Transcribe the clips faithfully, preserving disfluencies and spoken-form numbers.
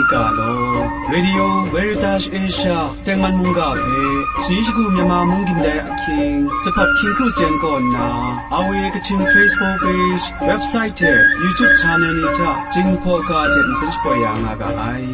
Ga law, Radio Veritas Asia tengman mungga hpe, shayi shagu Myanmar mung gindai ahkying, Jahpat Hkying Kru Jen kaw nna, R V A Kachin Facebook page, website hte YouTube channel ni hta Jinghpaw ga hte nsen shapoi ya nga ga ai.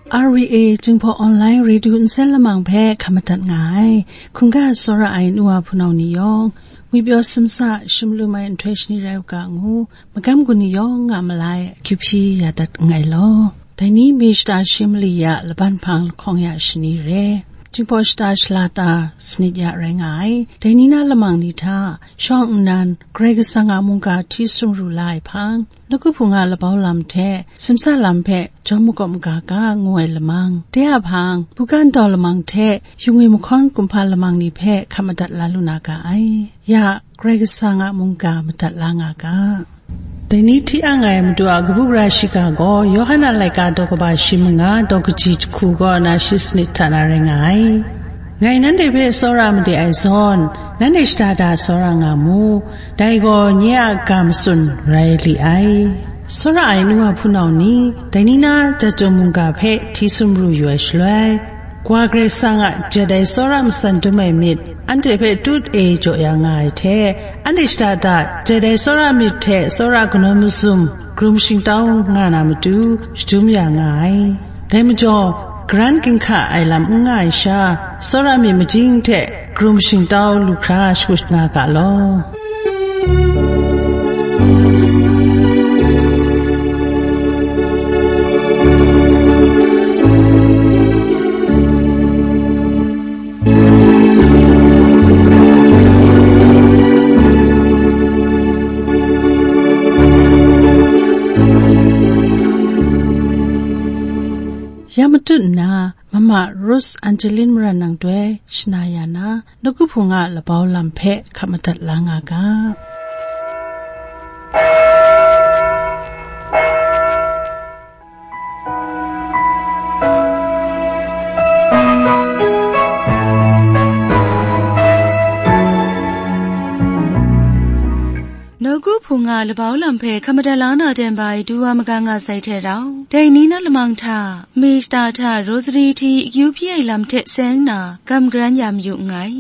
R V A Jinghpaw Online Radio nsen lamang hpe hkam madat nga ai. Hkungga tsawra ai nu wa hpunau ni yawng, ngwi pyaw simsa, shim lum ai nhtoi shani rai u ga ngu, magam gun ni yawng a malai akyu hpyi ya dat nngai law. Dai ni mi shata shi mali ya laban hpang lahkawng ya shani re, Jinghpaw shata shala ta sanit ya rai nga ai. Dai ni na lamang ni hta shawng nnan Karai Kasang a mungga hti sumru la ai hpang, nawku hpung a labau lam hte simsa lam hpe jawm makawp maga ga ngu ai lamang, de a hpang, buga ntau lamang hte yu ngwi mahkawn kumhpa lamang ni hpe hkam madat la lu na ga ai. Ya, Karai Kasang a mungga madat la nga ga. Dai ni hti ang ai Madu a kabu gara shiga gaw, Yawhan a laika daw kaba shi manga, daw kaji jahku kaw na shi sanit hta na rai nga ai. Ngai nanhte hpe tsawra made ai zawn, nanhte shada da tsawra nga mu, dai gaw nye a ga matsun rai li ai. Tsawra ai nu wa hpunau ni, dai ni na Jahtum mungga hpe hti sumru yu ai shaloi, Wa Karai Kasang a jat ai tsawra matsan dum ai myit, anhte hpe tut e jaw ya nga ai hte, anhte shada da jat ai tsawra myit hte tsawra kanawn mazum, krum shingtau nga na matu, shadum ya nga ai. Dai majaw, garan ginhka ai lam n nga ai sha, tsawra myit majing hte krum shingtau lu hkra shakut nga ga law. Ya matut nna, Mama Rose Angeline Maran nang doi shana ya na, nawku hpung a labau lam hpe hkap madat la nga ga. Nawku hpung a labau lam hpe hkam madat la na ten bai du wa magang nga sai hte rau, dai ni na lamang hta, mi shata hta rosary hti akyu hpyi ai lam hte seng na, gam garan ya mayu nngai.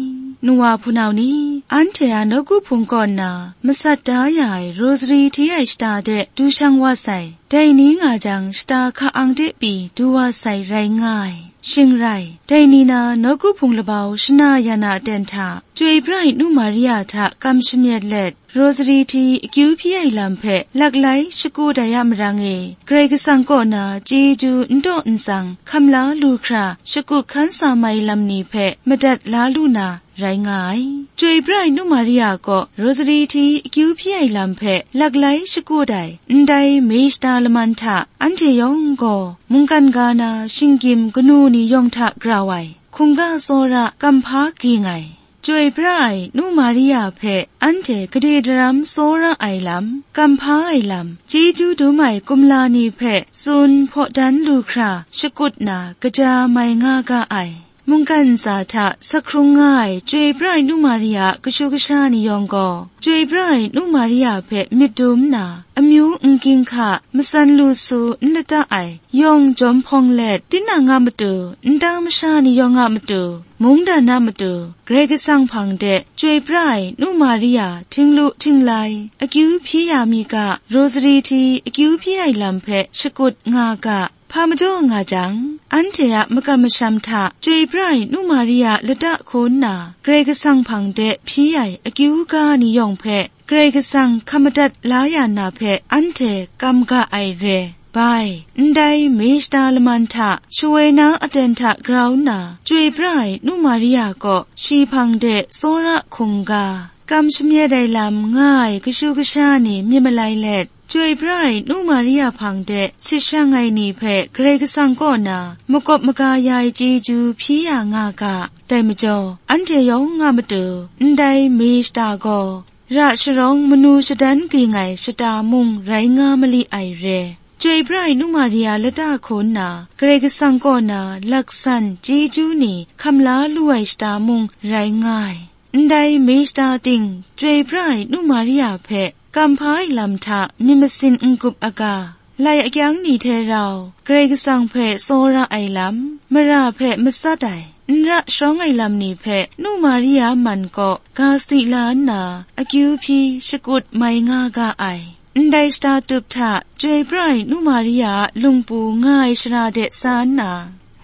Nu wa hpunau ni, anhte a nawku hpung kaw nna, masat da ya ai rosary hti ai shata de du shang wa sai. Dai ni nga jang, shata hka ang de pyi du wa sai rai nga ai. Shing rai, dai ni na nawku hpung labau shana ya na ten hta, Chyoi pra ai Nu Maria hta kam shamyet let, rosary hti akyu hpyi ai lam hpe laklai shakut ai a marang e, Karai Kasang kaw na chyeju n taw n tsang hkam la lu hkra, shakut hkan sa mai lam ni hpe madat la lu na, rai nga ai. Chyoi pra ai Nu Maria kaw rosary hti akyu hpyi ai lam hpe laklai shakut ai ndai mi shata laman hta, anhte yawng gaw mungkan ga na shinggyim kanu ni yawng hta grau ai, hkungga tsawra kamhpa ging ai, Chyoi pra ai Nu Maria hpe anhte gade daram tsawra ai lam, kamhpa ai lam, chyeju dum ai kumla ni hpe tsun hpaw dan lu hkra shakut na kaja mai nga ga ai. Mungkan ntsa hta sakhung nga ai Chyoi pra ai Nu Maria a kashu kasha ni yawng gaw, Chyoi pra ai Nu Maria hpe myit dum nna, amyu n ginhka, matsan lu su n lata ai, yawng jawm hpawng let, tinang a matu, nta masha ni yawng a matu, mungdan a matu, Karai Kasang hpang de Chyoi pra ai Nu Maria htinglu htinglai, akyu hpyi ya mi ga, rosary hti akyu hpyi ai lam hpe shakut nga ga, hpa majaw nga jang, anhte a makam masham hta Chyoi pra ai Nu Maria lata hkaw nna, Karai Kasang hpang de hpyi ai akyu ga ni yawng hpe Karai Kasang hkam madat la ya na hpe anhte kam ga ai re. Bai, ndai mi shata laman hta, shawoi na aten hta grau nna, Chyoi pra ai Nu Maria kaw shi hpang de tsawra hkungga, kam shamyet ai lam nga ai kashu kasha ni myit malai let, Chyoi pra ai Nu Maria hpang de sit shang ai ni hpe Karai Kasang kaw na makawp maga ya ai chyeju hpyi ya nga ga. Dai majaw, anhte yawng a matu, ndai mi shata gaw, ra sharawng manu shadan ging ai shata mung rai nga mali ai re. Chyoi pra ai Nu Maria lata hkaw nna, Karai Kasang kaw na laksan chyeju ni hkam la lu ai shata mung rai nga ai. Ndai mei shata ting chyoi pra ai Nu Maria hpe kam hpa ai lam hta myit masin n-gup aga, lai akyang ni hte rau Karai Kasang hpe tsawra ai lam, mara hpe matsat ai, n ra sharawng ai lam ni hpe Nu Maria man kaw ga sadi la nna, akyu hpyi shakut mai nga ga ai. Ndai shata tup hta chyoi pra ai Nu Maria a lungpu nga ai shara de sa nna,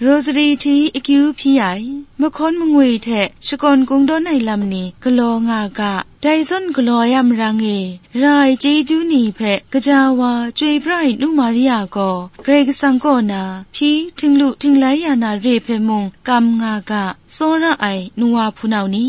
rosary hti akyu hpyi ai, mahkawn mangwi hte shakawn kungdawn ai lam ni galaw nga ga, dai zawn galaw ai a marang e, ra ai chyeju ni hpe gaja wa chyoi pra ai Nu Maria gaw, Karai Kasang kaw na hpyi htinglu htinglai ya na re hpe mung kam nga ga, tsawra ai nu wa hpunau ni,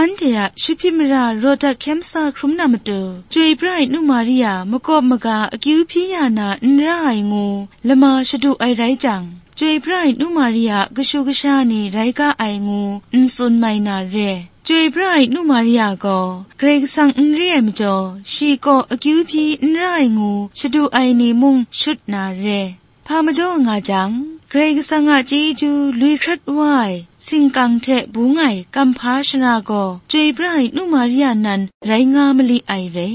anhte a shahpyi mara rawt dat hkyem sa hkrum na matu, chyoi pra ai Nu Maria makawp maga akyu hpyi ya na n ra ai ngu lama shadu ai rai jang, chyoi pra ai Nu Maria kashu kasha ni rai ga ai ngu n tsun mai na re. Chyoi pra ai Nu Maria gaw Karai Kasang n re ai majaw, shi kaw akyu hpyi n ra ai ngu shadu ai ni mung shut na re. Hpa majaw nga jang, Karai Kasang a chyeju lui hkrat wa ai, singkang hte bung ai kamhpa shara gaw, chyoi pra ai Nu Maria nan rai nga mali ai re.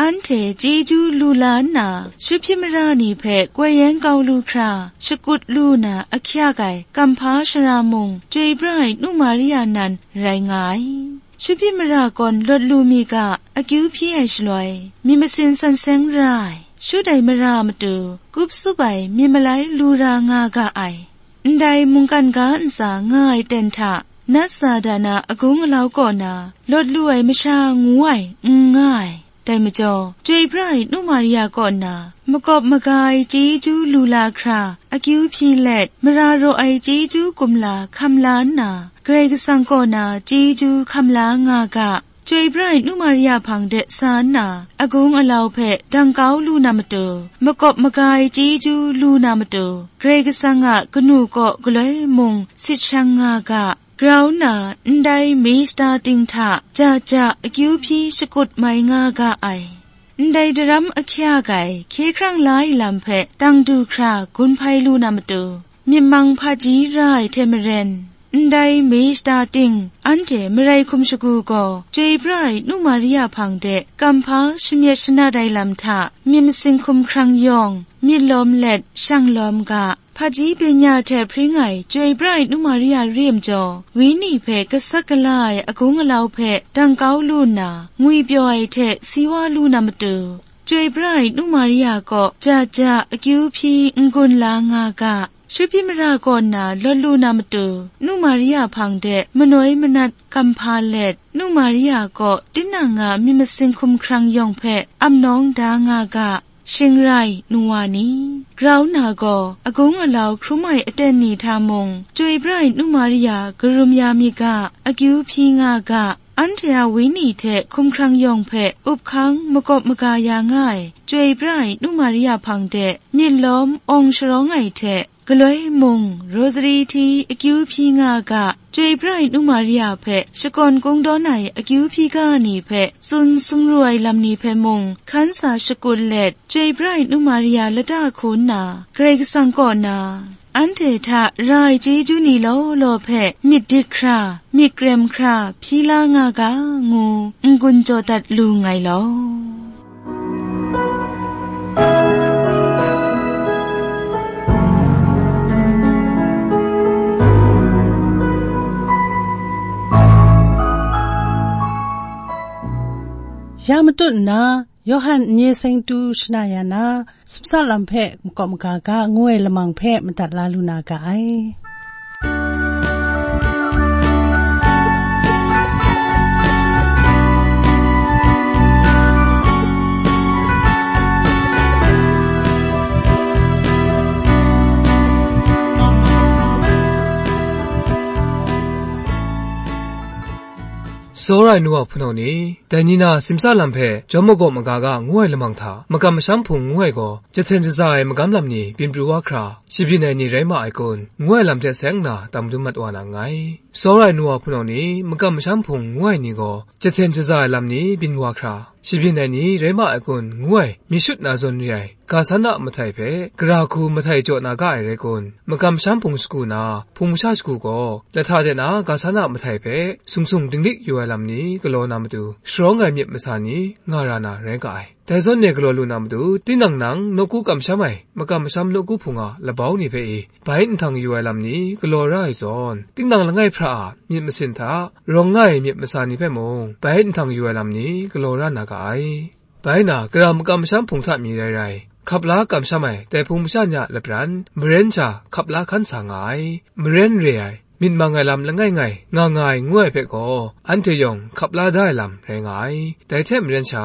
Anhte chyeju lu la nna, shahpyi mara ni hpe koi yan kau lu hkra, shakut lu na ahkyak ai kamhpa shara mung, chyoi pra ai Nu Maria nan rai nga ai. Shahpyi mara kawn lawt lu mi ga, akyu hpyi ai shaloi, myit masin san seng ra ai, shut ai mara matu, kup tsup ai myit malai lu ra nga ga ai. Ndai mungkan ga ntsa nga ai ten hta, nat sa da na agung alau kaw na, lawt lu ai masha ngu ai, n nga ai. Dai majaw, chyoi pra ai Nu Maria kaw na, makawp maga ai chyeju lu la hkra, akyu hpyi let, mara raw ai chyeju kumla hkam la nna, Karai Kasang kaw na chyeju hkam la nga ga, chyoi pra ai Nu Maria hpang de sa nna, agung alau hpe dang kau lu na matu, makawp maga ai chyeju lu na matu, Karai Kasang a kanu kaw galoi mung sit shang nga ga, grau nna ndai mei shata ting hta ja ja akyu hpyi shakut mai nga ga ai. Ndai daram ahkyak ai hkye hkrang la ai lam hpe dang du hkra gun hpai lu na matu, myit mang hpaji ra ai hte maren, ndai mei shata ting anhte marai hkum shagu gaw, chyoi pra ai Nu Maria hpang de kamhpa shamyet shanat ai lam hta, myit masin hkum hkrang yawng, myit lawm let shang lawm ga, hpaji benya hte hpring ai chyoi pra ai Nu Maria re ai majaw, wenyi hpe gasat gala ai agung alau hpe dang kau lu nna, ngwi pyaw ai hte si wa lu na matu, chyoi pra ai Nu Maria kaw ja ja akyu hpyi n-gun la nga ga, shahpyi mara kaw na lawt lu na matu, Nu Maria hpang de manoi manat kamhpa let, Nu Maria kaw tinang a myit masin hkum hkrang yawng hpe amnawng da nga ga, shing rai nu wa ni, grau na gaw agung alau hkrum ai aten ni hta mung, chyoi pra ai Nu Maria karum ya mi ga, akyu hpyi nga ga, anhte a wenyi hte hkum hkrang yawng hpe up hkang makawp maga ya nga ai, chyoi pra ai Nu Maria hpang de myit lawm awng sharawng ai hte, galoi mung, rosary hti akyu hpyi nga ga, chyoi pra ai Nu Maria hpe shakawn kungdawn ai akyu hpyi ga ni hpe tsun sumru ai lam ni hpe mung hkan sa shakut let, chyoi pra ai Nu Maria lata hku nna, Karai Kasang kaw na, anhte hta ra ai chyeju ni law law hpe myit dit hkra, myit krem hkra hpyi la nga ga, ngu n-gun jaw dat lu nngai law. Ya matut nna, Yawhan n-ye seng tu shana ya na, sumsa lam hpe makawp maga ga ngu ai lamang hpe madat la lu na ga ai. Tsawra ai nu wa hpunau ni, dai ni na simsa lam hpe jawm magawp maga ga ngu ai lamang hta, makam masham hpung ngu ai gaw, jahten shaza ai magam lam ni byin pru wa hkra, shabyin ai ni rai ma ai kun, ngu ai lam hte seng nna tam dum mat wa na nngai. Tsawra ai nu wa hpunau ni, makam masham hpung ngu ai ni gaw, jahten shaza ai lam ni byin wa hkra, shabyin ai ni rai ma ai kun ngu ai, myit shut na zawn re ai, ga san a mahtai hpe, gara hku mahtai jaw na ga ai rai kun, makam masham hpung shagu na, hpung masha shagu gaw, lahta de na ga san a mahtai hpe, sung sung dinglik yu ai lam ni galaw na matu, sharawng ai myit masa ni nga ra na rai ga ai. Dai zawn e galaw lu na matu, tinang nang nawku kamsham ai, makam masham nawku hpung a labau ni hpe e, bai nhtang yu ai lam ni galaw ra ai zawn, tinang langai hpra a myit masin hta rawng nga ai myit masa ni hpe mung, bai nhtang yu ai lam ni galaw ra na ga ai. Bai na, gara makam masham hpung hta mi rai rai, hkap la kamsham ai dai hpung masha ni a lapran, maren sha hkap la hkan sa nga ai. Maren re ai, myit mang ai lam langai ngai nga nga ai ngu ai hpe gaw, anhte yawng hkap la da ai lam rai nga ai. Dai hte maren sha,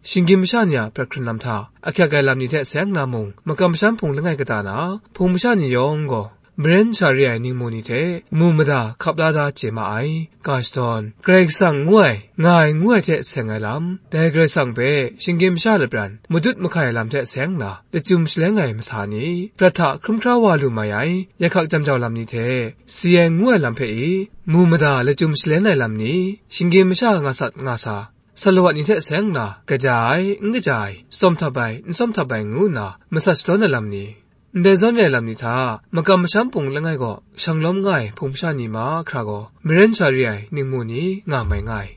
shinggyim masha ni a prat hkrun lam hta, ahkyak ai lam ni hte seng na mung, makam masham hpung langai kata na, hpung masha ni yawng gaw, maren sha re ai ningmu ni hte, mu mada hkap la da chye ma ai. Ga shadawn, Karai Kasang ngu ai, nga ai ngu ai hte seng ai lam, dai Karai Kasang hpe shinggyim masha lapran, madut mahkai ai lam hte seng na, lachyum shaleng ai masa ni, prat hta hkrum hkra wa lu mai ai, yahkak jam jau lam ni hte, si ai ngu ai lam hpe i, mu mada lachyum shaleng ai lam ni, shinggyim masha nga sat nga sa, salawat ni hte seng na, kaja ai, n kaja ai, tsawm htap ai, n tsawm htap ai ngu nna, masat shadawn ai lam ni, ndai zawn re ai lam ni hta, makam masham hpung langai gaw, shang lawm nga ai hpung masha ni mahkra gaw, maren sha re ai ningmu ni nga mai nga ai.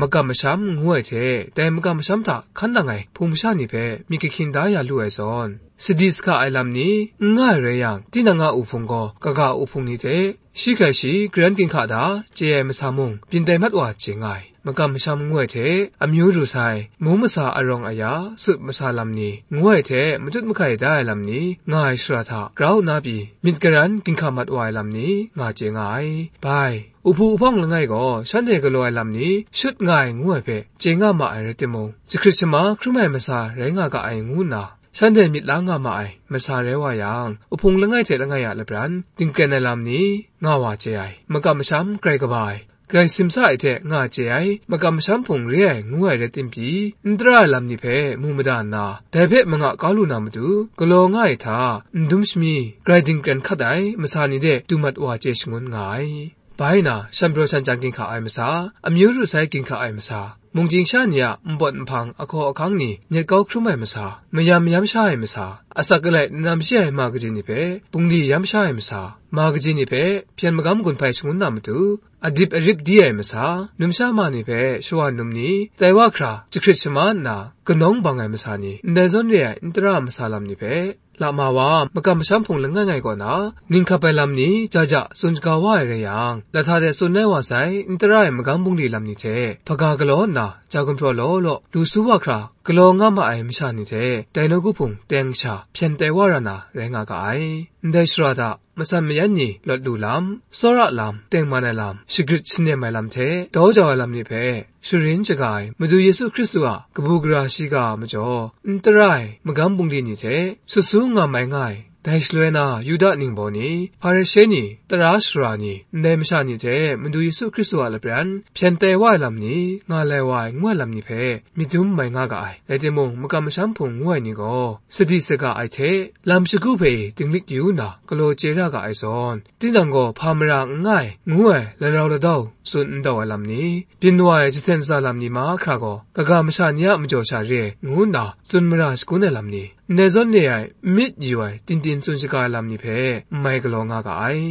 Makam masham ngu ai hte, dai makam masham hta hkan nang ai hpung masha ni hpe myit kahkyin da ya lu ai zawn, sadi sahka ai lam ni n nga ai rai yang, tinang a uhpung gaw, kaga uhpung ni hte, shi hkrai shi, garan ginhka da, chye ai masa mung, byin tai mat wa chye nga ai. Makam masham ngu ai hte, amyu ru sai, mu masa arawng aya, sut masa lam ni, ngu ai hte, matut mahkai da ai lam ni, nga ai shara hta, grau na pyi, myit garan ginhka mat wa ai lam ni, nga chye nga ai. Bai, uhpu uhpawng langai gaw, shanhte galaw ai lam ni, shut nga ai ngu ai hpe, chye nga ma ai rai timung, jahkrit shama hkrum ai masa rai nga ga ai ngu nna, shanhte myit la nga ma ai masa rai wa yang, uhpung langai hte langai a lapran, dingkren ai lam ni, nga wa chye ai, makam masham grai kaba ai, grai simsa ai hte nga chye ai, makam masham hpung re ai ngu ai rai tim pyi, n tara ai lam ni hpe mu mada nna, dai hpe manga kau lu na matu, galaw nga ai hta, n dum shami, grai dingkren hkat ai, masa ni de du mat wa chye shangun nga ai. Bai na, shan pyaw shan chyang ginhka ai masa, amyu ru sai ginhka ai masa, mungchying sha ni a npawt nhpang ahkaw ahkang ni nyet kau hkrum ai masa, mayam mayam sha ai masa, asak alai nanam shi ai ma kaji ni hpe bungli yam sha ai masa, ma kaji ni hpe hpyen magam gun hpai shangun na matu, adip arip di ai masa, numsha ma ni hpe shawa num ni, tai wa hkra jahkrit shama nna, kanawng bang ai masa ni, ndai zawn re ai n tara masa lam ni hpe, lama wa makam masham hpung langai ngai kaw na, ning hkap ai lam ni ja ja tsun shaga wa ai rai yang, lahta de tsun ai wa sai, n tara ai magam bungli lam ni hte, hpaga galaw nna, ja gumhpraw law law, lu su wa hkra, galaw nga ma ai masha ni hte, dai nawku hpung teng sha, hpyen tai wa ra na, rai nga ga ai. Ndai shara hta, matsan mayan ni lawt lu lam, tsawra lam, tengman ai lam, shagrit shanem ai lam hte, daw jau ai lam ni hpe, sharin shaga ai Madu Yesu Hkristu a kabu gara shiga a majaw, n tara ai magam bungli ni hte, sut su nga mai nga ai, dai shaloi na Yuda ningbaw ni, Hparishe ni, tara sara ni, ndai masha ni hte Madu Yesu Hkristu a lapran, hpyen tai wa ai lam ni, nga lai wa ai ngu ai lam ni hpe, myit dum mai nga ga ai. Rai timung, makam masham hpung ngu ai ni gaw, sadi saga ai hte, lam shagu hpe dinglik yu nna, galaw chye ra ga ai zawn, tinang gaw hpa mara n nga ai, ngu ai larau ladau tsun n dau ai lam ni, byin wa ai jahten shaza lam ni mahkra gaw, kaga masha ni a majaw sha re ai, ngu nna tsun mara shagun ai lam ni, ndai zawn re ai, n myit yu ai, tin tin tsun shaga ai lam ni hpe, n mai galaw nga ga ai.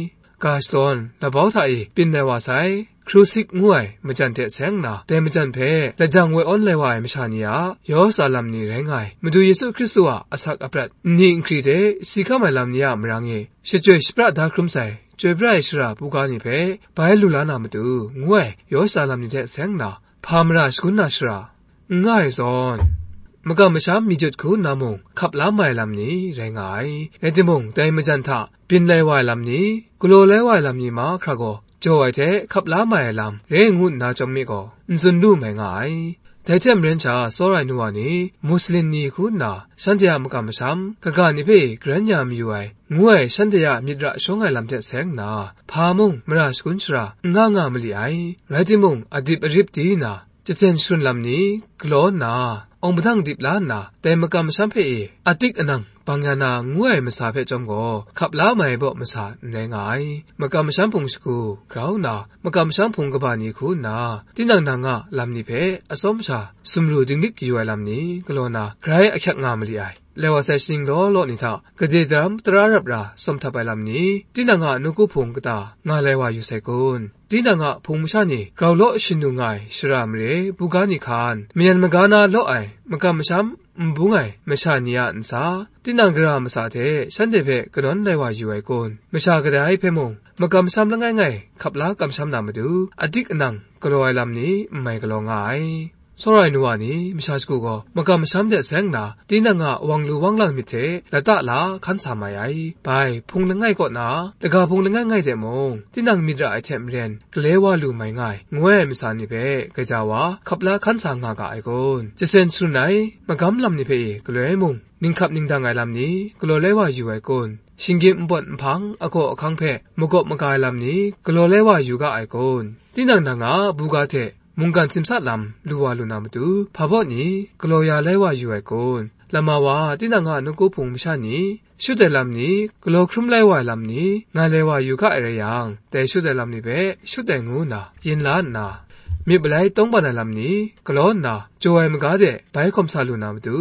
Ga shadawn, labau hta e byin lai wa sai, Krusik ngu ai majan hte seng nna, dai majan hpe lajang woi awn lai wa ai masha ni a, yaw sa lam ni rai nga ai, Madu Yesu Hkristu a asak aprat, nni nhkri hte si hkam ai lam ni a marang e, shachyoi shapra da hkrum sai, chyoi pra ai shara buga ni hpe bai lu la na matu, ngu ai, yaw sa lam ni hte seng nna, hpa mara shagun na shara, n nga ai zawn, makam masham mi jut hku nna mung, hkap la mai lam ni rai nga ai. Rai timung, dai majan hta byin lai wa ai lam ni, galaw lai wa ai lam ni mahkra gaw, jaw ai hte hkap la mai ai lam re ngu nna chyawm mi gaw, n tsun lu mai nga ai. Dai hte maren sha, tsawra ai nu wa ni, Muslin ni hku nna, shanhte a makam masham, kaga ni hpe garan ya mayu ai, ngu ai shanhte a myit ra shawng ai lam hte seng nna, hpa mung mara shagun shara n nga nga mali ai. Rai timung, adip arip di nna, jahten sharun lam ni galaw nna, awng padang dip la nna, dai makam masham hpe e atik anang bang ya na ngu ai masa hpe chyawm gaw, hkap la mai baw masa n rai nga ai. Makam masham hpung shagu grau nna, makam masham hpung kaba ni hku nna, tinang nang a lam ni hpe atsawm sha sumru dinglik yu ai lam ni galaw na, grai ahkyak nga mali ai. Lai wa sai shaning law law ni hta, gade daram tara rap ra sawm htap ai lam ni, tinang a nawku hpung kata nga lai wa yu sai kun? Tinang a hpung masha ni grau law shanu nga ai shara mare buga ni hkan, mayan maga na law ai makam masham n bung ai masha ni a ntsa, tinang gara masa hte shanhte hpe kanawn lai wa yu ai kun? Masha kadai hpe mung, makam masham langai ngai hkap la kamsham na matu, adik anang galaw ai lam ni n mai galaw nga ai. Tsawra ai nu wa ni, masha shagu gaw makam masham de seng nna, tinang a wang lu wang lang myit hte lata la hkan sa mai ai. Bai, hpung langai kaw na, laga hpung langai ngai de mung, tinang myit ra ai hte maren, gale wa lu mai nga ai, ngu ai masa ni hpe gaja wa hkap la hkan sa nga ga ai kun? Jasen sharun ai magam lam ni hpe e galoi mung, ninghkap ningdang ai lam ni galaw lai wa yu ai kun? Shinggyim npawt nhpang agaw ahkang hpe magawp maga ai lam ni galaw lai wa yu ga ai kun? Tinang nang a buga hte mungkan simsa lam lu wa lu na matu, hpa baw ni galaw ya lai wa yu ai kun? Lama wa, tinang a nawku hpung masha ni shut ai lam ni, galaw hkrum lai wa ai lam ni, nga lai wa yu ga ai rai yang, dai shut ai lam ni hpe shut ai ngu nna yin la nna, myit malai tawngban ai lam ni galaw nna, jaw ai maga de bai hkawm sa lu na matu,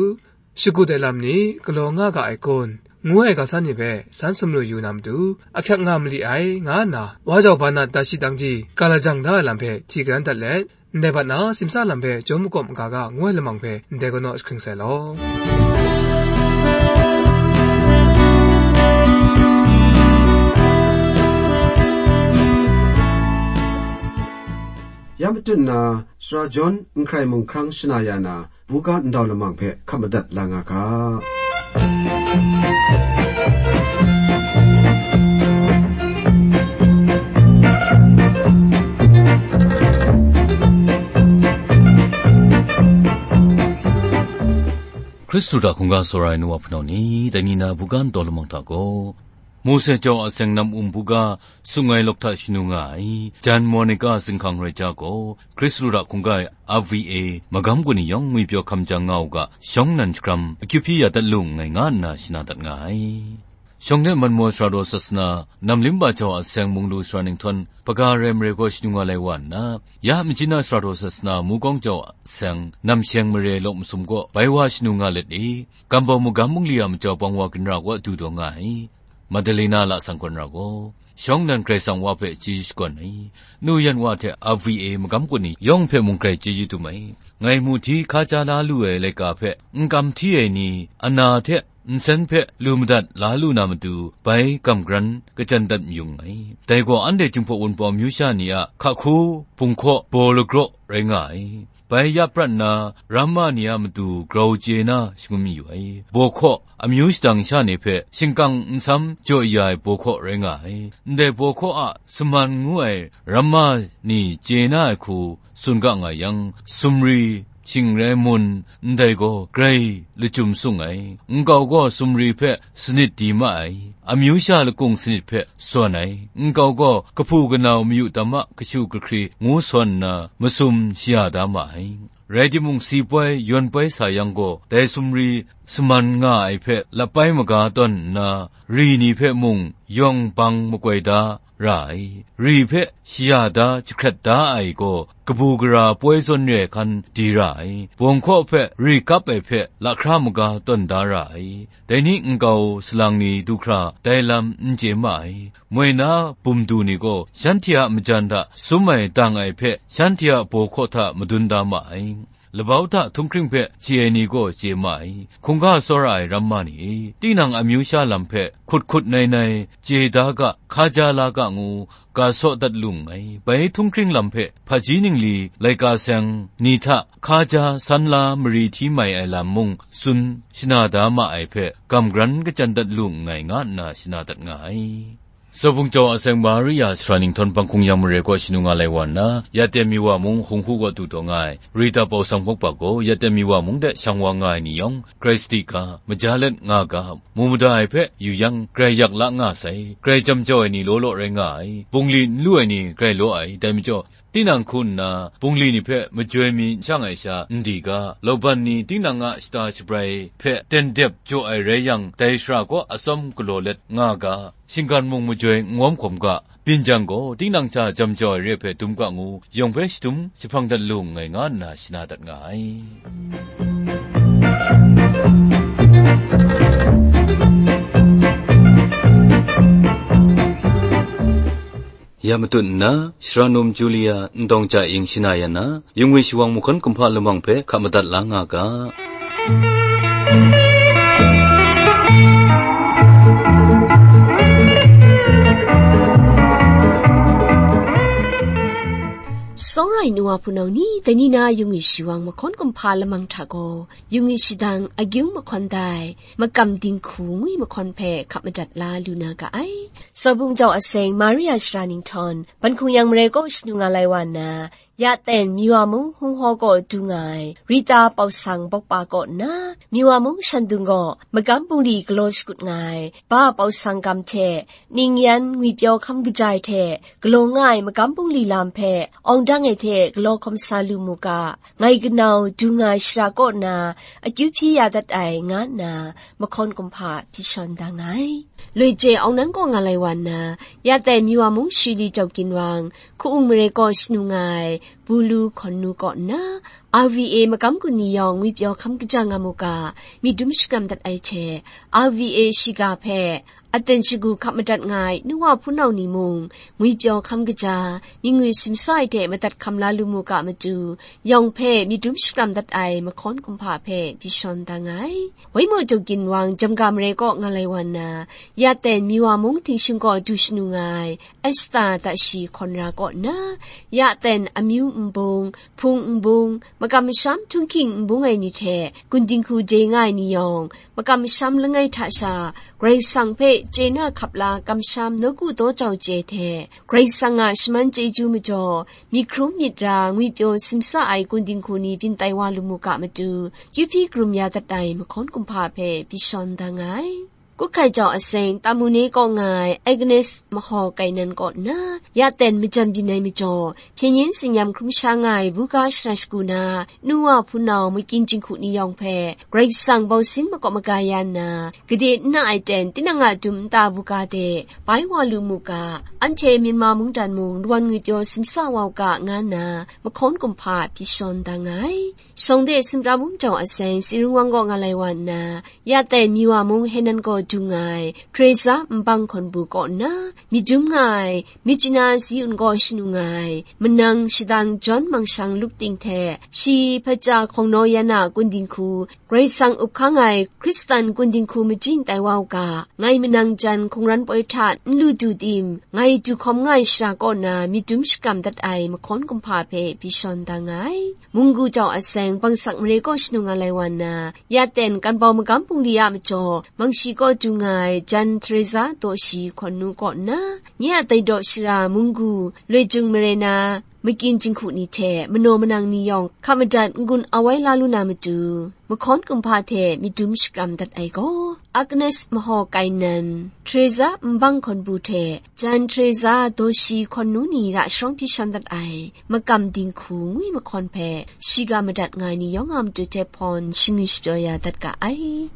shagut ai lam ni galaw nga ga ai kun? Ngu ai ga san ni hpe san sumru yu na matu, ahkyak nga mali ai, nga nna, wa jau ba na da shi dang ji ga lajang da ai lam hpe hti garan dat let, ndai bat na simsa lam hpe jawm makawp maga ga ngu ai lamang hpe ndai kanaw jahkring sai law. Ya matut na, Sara John n hkrai mung hkrang shana ya na, buga ndau lamang hpe hkap madat la nga ga. Hkristu hta hkungga tsawra ai nu wa hpunau ni, dai ni na buga ndau lamang hta gaw, Mose jau a seng nam um buga, sung ai lawk hta shanu nga ai, jan Monica zinghkang rai ja gaw, Hkristu hta hkungga ai R V A magam kaw ni yawng ngwipyaw hkam jang nga u ga, shawng nnan shagram akyu hpyi ya dat lu nngai nga nna shana dat nga ai. Shawng de Manmaw Sara daw Sasana, Namlimba jau a seng mung lu sara ninghtawn, hpaga rai mare gaw shanu nga lai wa nna, ya Majina Sara daw Sasana, Mukawng jau a seng, Namsheng mare lawk masum gaw, bai wa shanu nga let e, Kambau magam bungli a majaw bang wa ginra kaw du taw nga ai. Madalena lasang kawn ra gaw, shawng nnan Karai Kasang Wa hpe chyeju shakawn ai. Nu yan wa hte R V A magam kaw ni yawng hpe mung grai chyeju dum ai. Ngai mu hti hka ja la lu ai laika hpe n kam hti ai ni, ana hte nsen hpe lu madat la lu na matu, bai kam garan kachyan dat mayung ai. Dai gaw anhte Jinghpaw Wunpawng amyu sha ni a hka hku, bung hkaw, baw lagraw rai nga ai. Bai ya prat nna, ramma ni a matu grau chye na shangun mayu ai. Baw hkaw, amyu shadang sha ni hpe shingkang nsam jaw ya ai baw hkaw rai nga ai. Ndai baw hkaw a saman ngu ai ramma ni chye na ai hku tsun ga nga yang, sumri, shing rai mun, ndai gaw grai lachyum sung ai. Nkau gaw sumri hpe sanit di ma ai, amyu sha lakung sanit hpe sawn ai. Nkau gaw kahpu kanau mayu tam a kashu kahkri ngu sawn nna, masum shaya da ma ai. Rai timung, si poi, yawn poi sa yang gaw, dai sumri saman nga ai hpe lapai maga tawn nna, ri ni hpe mung yawng bang makoi da ra ai. Ri hpe shaya da, jahkrat da ai gaw, kabu gara poi zawn re ai hkan di ra ai. Bawng hkaw hpe ri kap ai hpe lahkra maga tawn da ra ai. Dai ni nkau salang ni du hkra dai lam n chye ma ai. Moi na bum du ni gaw shanhte a majan hta sum ai dang ai hpe shanhte a baw hkaw hta madun da ma ai. Labau hta htunghkring hpe chye ai ni gaw chye ma ai. Hkungga tsawra ai ramma ni e, tinang amyu sha lam hpe hkut hkut nai nai chye da ga, hka ja la ga ngu, ga saw dat lu nngai. Bai htunghkring lam hpe hpaji ningli laika seng ni hta hka ja san la mari hti mai ai lam mung tsun shana da ma ai hpe gam garan kachyan dat lu nngai, nga nna shana dat nga ai. Sawbung jau a seng Maria sara ninghtawn banghkung yang mare kaw shanu nga lai wa nna, ya ten mi wa mung hkung hku kaw du taw nga ai, Rita Pausang Hpawk gaw ya ten mi wa mung de shang wa nga ai ni yawng, grai sadi ga, maja let nga ga, mu mada ai hpe yu yang, grai yak la nga sai, grai jam jau ai ni law law rai nga ai, bungli n lu ai ni grai law ai, dai majaw, tinang hku nna, bungli ni hpe majoi mi n shang ai sha n di ga, lauban ni tinang a shata shabrai hpe ten dep jaw ai rai yang, dai shara kaw atsawm galaw let nga ga, shinggan mung majoi n wawm hkawm ga, byin jang gaw, tinang hta jam jau ai re ai hpe dum ga ngu, yawng hpe shadum jahpang dat lu nngai, nga nna shana dat nga ai. Ya matut nna, Sara Num Julia Ndawng Ja Ing shana ya na, yungwi shawang mahkawn kumhpa lamang hpe hka madat la nga ga. Tsawra ai nu wa hpunau ni, dai ni na yungwi shawang mahkawn kumhpa lamang hta gaw, yungwi shadang agyung mahkawn dai, makam dinghku ngwi mahkawn hpe hka madat la lu na ga ai. Sawbung jau aseng Maria Shara Ninghtawng, ban hkung yang marai kaw shanu nga lai wa nna, ya ten Miwa mung Hung Haw kaw du nga ai, Rita Pau Sang bawkpa kaw nna, Miwa mung Shandung gaw magam bungli galaw shakut nga ai, Ba Pau Sang gam hte, Ning Yan ngwipyaw hkam kaja ai hte galaw nga ai magam bungli lam hpe awng dang ai hte galaw hkawm sa lu mu ga, ngai kanau du nga ai shara kaw na akyu hpyi ya dat ai, nga nna mahkawn kumhpa hpyi shawn da nga ai. Loi je awng nan kaw nga lai wa nna, ya tai Miwa mung Shili Jau Ginwang, Hku-ung mare kaw shanu nga ai Bulu Hkawn Nu kaw nna, R V A magam gun ni yawng ngwipyaw hkam kaja nga mu ga, myit dum shakram dat ai hte, R V A shiga hpe, aten shagu hkap madat nga ai nu wa hpunau ni mung, ngwipyaw hkam kaja, myit ngwi simsa ai hte madat hkam la lu mu ga matu, yawng hpe myit dum shakram dat ai mahkawn kumhpa hpe hpyi shawn da nga ai. Waimaw Jau Ginwang Jamga mare kaw nga lai wa nna, ya ten Miwa mung Tingshung kaw du shanu nga ai Esta Tashi Hkawn Ra kaw nna, ya ten amyu nbung, hpung nbung, makam masham htunghking nbung ai ni hte gun dinghku de nga ai ni yawng, makam masham langai hta sha, Karai Kasang hpe chye na hkap la kamsham nawku daw jau chye hte, Karai Kasang a shaman chyeju majaw, myit hkrum myit ra ngwipyaw simsa ai gun dinghku ni byin tai wa lu mu ga matu, kyu hpyi karum ya dat ai mahkawn kumhpa hpe hpyi shawn da nga ai. Kut hkai jau aseng Tamune kaw nga ai Agnes Mahaw Kainan kaw nna, ya ten majan byin ai majaw, hpyen yin tsin-yam hkrum sha nga ai buga shara shagu na, nu wa hpunau makyin jinghku ni yawng hpe, Karai Kasang bausin makawp maga ya nna, gade n na ai ten tinang a dum nta buga de bai wa lu mu ga, anhte Myanmar mungdan mung lawan ngwipyaw simsa wa u ga, nga nna mahkawn kumhpa hpyi shawn da nga ai. Shawng de Sumtra Mung Jau aseng Sirung Wang kaw nga lai wa nna, ya tai Miwa mung Henan kaw du nga ai Teresa Nbang Hkawn Bu kaw nna, myit dum nga ai Myitkyina Si Un kaw shanu nga ai Manang Shadang John Mangshang Luk Ting hte, shi hpaja hkawng naw yan a gun dinghku, Karai Kasang up hkang ai Hkristan gun dinghku majing tai wa u ga, ngai Manang jan hkungran poi hta n lu du tim, ngai du hkawm nga ai shara kaw na myit dum shakram dat ai mahkawn kumhpa hpe hpyi shawn da nga ai. Munggu jau aseng Bangsak mare kaw shanu nga lai wa nna, ya ten Kanbau magam bungli a majaw, Mangshi kaw du nga ai Jan Teresa Daw Shi Hkawn Nu kaw nna, nye a tai daw shara Munggu, Loi Jung mare na, makyin jinghku ni hte manaw manang ni yawng hkap madat n-gun awai la lu na matu, mahkawn kumhpa hte myit dum shakram dat ai gaw, Agnes Mahaw Kainan, Teresa Nbang Hkawn Bu hte Jan Teresa Daw Shi Hkawn Nu ni ra sharawng hpyi shawn dat ai makam dinghku ngwi mahkawn hpe shiga madat nga ai ni yawng a matu hte hpawn shingwi shapyaw ya dat ga ai.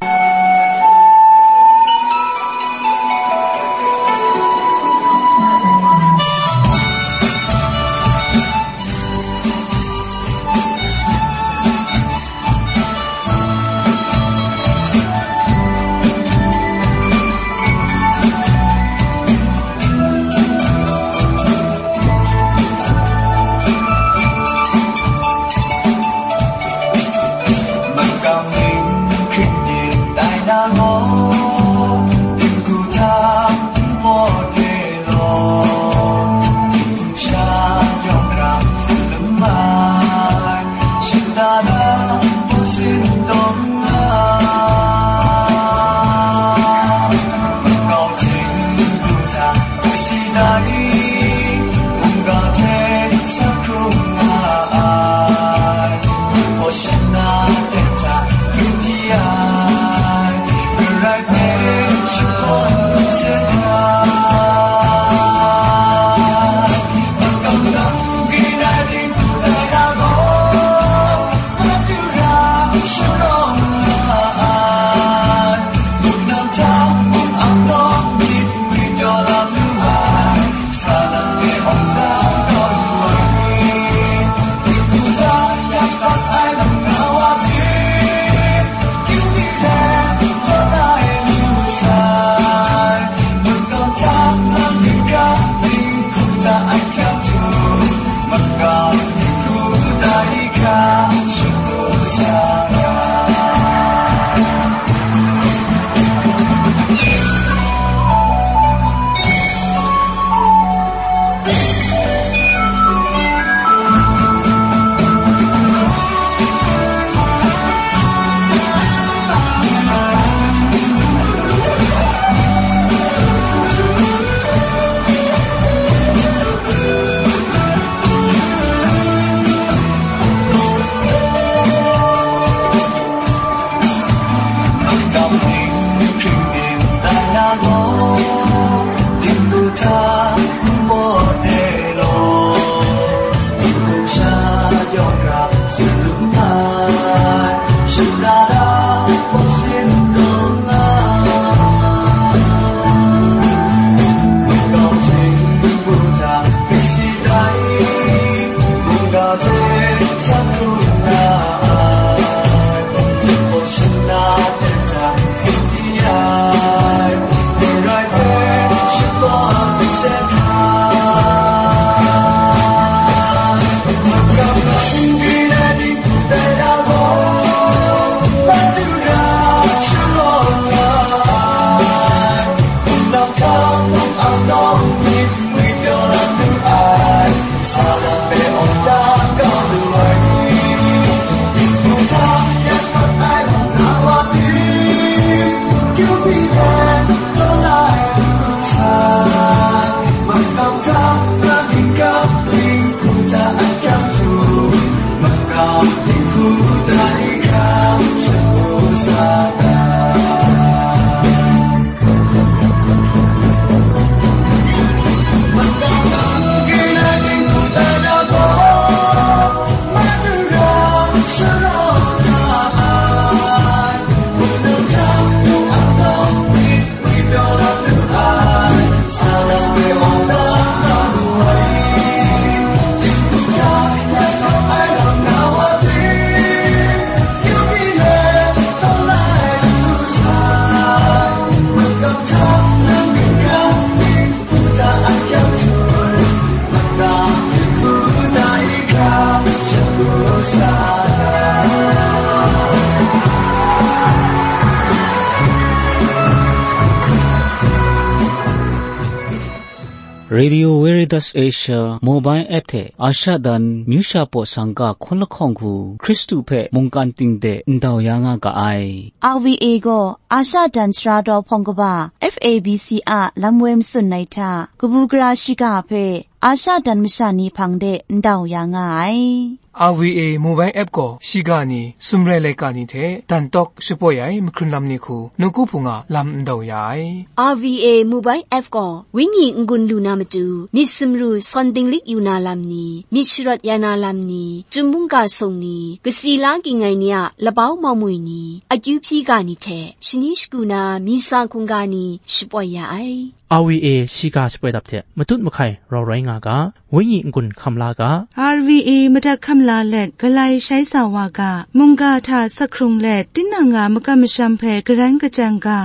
Radio Veritas Asia mobile app hte Asha dan myu sha paw sangka hkawn lahkawng hku Hkristu hpe mungkan ting de ndau ya nga ga ai. R V A gaw Asha dan sara daw hpawng kaba F A B C a lam woi matsun ai hta, kabu gara shiga hpe Asha dan masha ni hpang de ndau ya nga ai. R V A mobile app gaw shiga ni, sumrai laika ni hte dan tawk shapoi ai mahkrun lam ni hku nawku hpung a lam ndau ya ai. R V A mobile app gaw wenyi n-gun lu na matu, myit sumru sawn dinglik yu na lam ni, myit sharawt ya na lam ni, chyum mungga sung ni, kasi la ging ai ni a labau maumwi ni, akyu hpyi ga ni hte shani shagu na misa hkungga ni shapoi ya ai. R V A shiga shapoi dap hte matut mahkai rau rai nga ga, wenyi n-gun hkam la ga. R V A madat hkam la let galai shai sa wa ga, mungga hta sak hkrung let tinang a makam masham hpe garan kachang ga.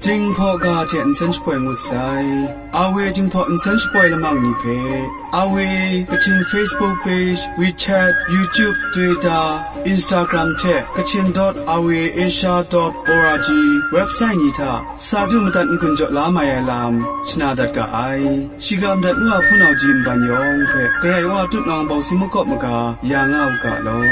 Jinghpaw ga hte nsen shapoi ngut sai. R V A Jinghpaw nsen shapoi lamang ni hpe, R V A Kachin Facebook page, WeChat, YouTube, Twitter, Instagram hte Kachin dot R V A Asia dot org website ni hta sa du madat n-gun jaw la mai ai lam shana dat ga ai. Shiga madat Wa Hpunau Ji nban yawng hpe Karai Wa tutnawng bawng si makawp maga ya nga u ga law.